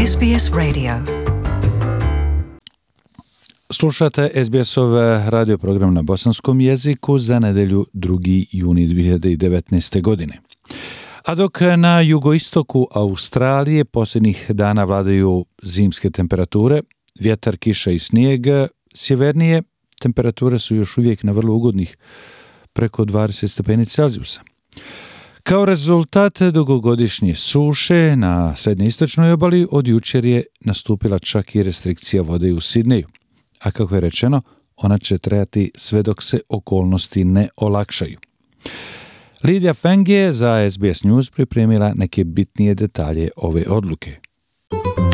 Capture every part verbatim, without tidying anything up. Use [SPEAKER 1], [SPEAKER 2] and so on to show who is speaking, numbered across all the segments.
[SPEAKER 1] S B S Radio.
[SPEAKER 2] Slušate S B S-ov radio program na bosanskom jeziku za nedelju drugi juni dvije hiljade devetnaeste. godine. A dok na jugoistoku Australije posljednjih dana vladaju zimske temperature, vjetar, kiša i snijeg, sjevernije temperature su još uvijek na vrlo ugodnih preko dvadeset stepeni Celzijusa. Kao rezultat dugogodišnje suše na srednjoistočnoj obali od jučer je nastupila čak i restrikcija vode u Sidneju. A kako je rečeno, ona će trajati sve dok se okolnosti ne olakšaju. Lidija Feng je za S B S News pripremila neke bitnije detalje ove odluke.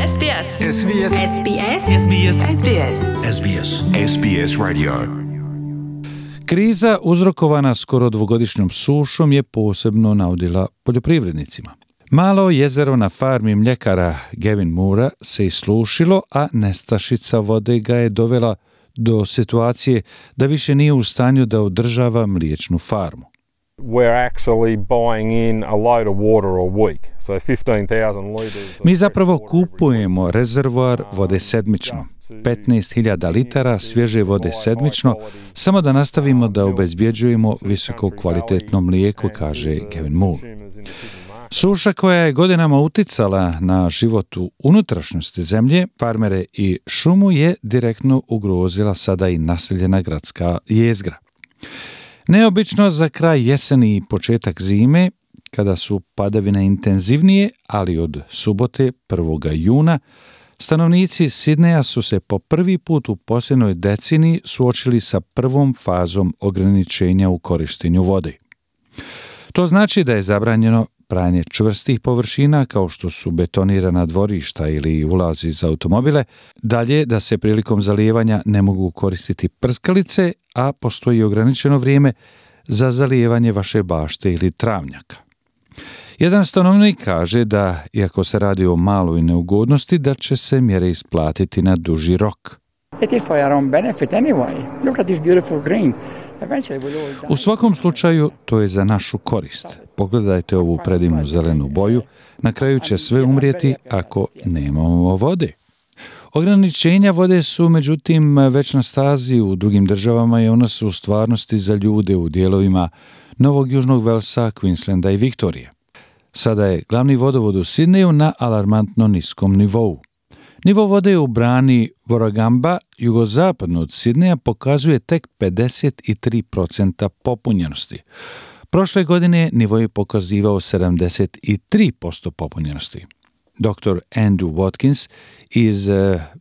[SPEAKER 3] S B S.
[SPEAKER 4] S B S.
[SPEAKER 3] S B S. S B S. S B S.
[SPEAKER 4] S B S. S B S Radio.
[SPEAKER 2] Kriza uzrokovana skoro dvogodišnjom sušom je posebno naudila poljoprivrednicima. Malo jezero na farmi mljekara Gavin Moora se islušilo, a nestašica vode ga je dovela do situacije da više nije u stanju da održava mliječnu farmu.
[SPEAKER 5] We're actually buying in a load of water a week. So fifteen thousand liters.
[SPEAKER 2] Mi zapravo kupujemo rezervoar vode sedmično, petnaest hiljada litara svježe vode sedmično, samo da nastavimo da obezbjeđujemo visoko kvalitetno mlijeko, kaže Gavin Moore. Suša koja je godinama uticala na život u unutrašnjosti zemlje, farmere i šumu je direktno ugrozila sada i naseljena gradska jezgra. Neobično za kraj jeseni i početak zime, kada su padavine intenzivnije, ali od subote prvog juna, stanovnici Sidneja su se po prvi put u posljednjoj deceniji suočili sa prvom fazom ograničenja u korištenju vode. To znači da je zabranjeno pranje čvrstih površina kao što su betonirana dvorišta ili ulazi za automobile, dalje da se prilikom zalijevanja ne mogu koristiti prskalice, a postoji ograničeno vrijeme za zalijevanje vaše bašte ili travnjaka. Jedan stanovnik kaže da, iako se radi o maloj neugodnosti, da će se mjere isplatiti na duži rok.
[SPEAKER 6] It is for our own benefit anyway. Look at this beautiful green.
[SPEAKER 2] U svakom slučaju, to je za našu korist. Pogledajte ovu predivnu zelenu boju. Na kraju će sve umrijeti ako nemamo vode. Ograničenja vode su, međutim, već na stazi u drugim državama i ona su u stvarnosti za ljude u dijelovima Novog Južnog Velsa, Queenslanda i Viktorije. Sada je glavni vodovod u Sidneju na alarmantno niskom nivou. Nivo vode u brani Warragamba, jugozapadno od Sidneja, pokazuje tek pedeset tri posto popunjenosti. Prošle godine nivo je pokazivao sedamdeset tri posto popunjenosti. doktor Andrew Watkins iz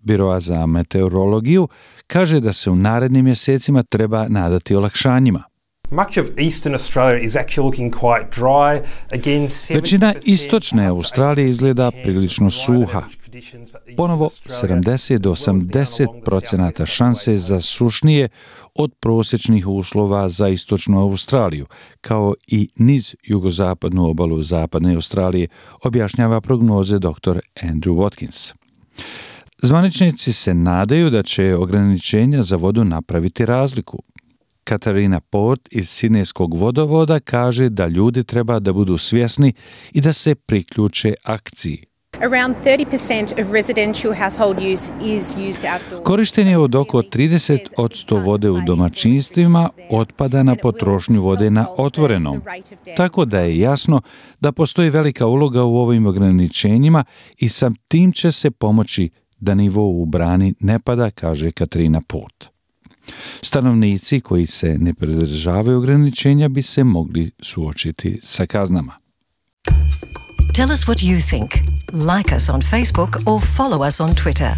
[SPEAKER 2] Biroa za meteorologiju kaže da se u narednim mjesecima treba nadati olakšanjima.
[SPEAKER 7] Much of eastern Australia is actually looking quite dry. Again,
[SPEAKER 2] Većina istočne Australije izgleda prilično suha. Ponovo sedamdeset do osamdeset posto šanse za sušnije od prosječnih uslova za istočnu Australiju, kao i niz jugozapadnu obalu zapadne Australije, objašnjava prognoze doktor Andrew Watkins. Zvaničnici se nadaju da će ograničenja za vodu napraviti razliku. Katarina Port iz Sidnejskog vodovoda kaže da ljudi treba da budu svjesni i da se priključe akciji.
[SPEAKER 8] Around thirty percent of residential household use is used outdoors.
[SPEAKER 2] Korištenje od oko trideset posto vode u domaćinstvima otpada na potrošnju vode na otvorenom, tako da je jasno da postoji velika uloga u ovim ograničenjima i sa tim će se pomoći da nivo u brani ne pada, kaže Katarina Port. Stanovnici koji se ne pridržavaju ograničenja bi se mogli suočiti sa kaznama.
[SPEAKER 1] Tell us what you think. Like us on Facebook or follow us on Twitter.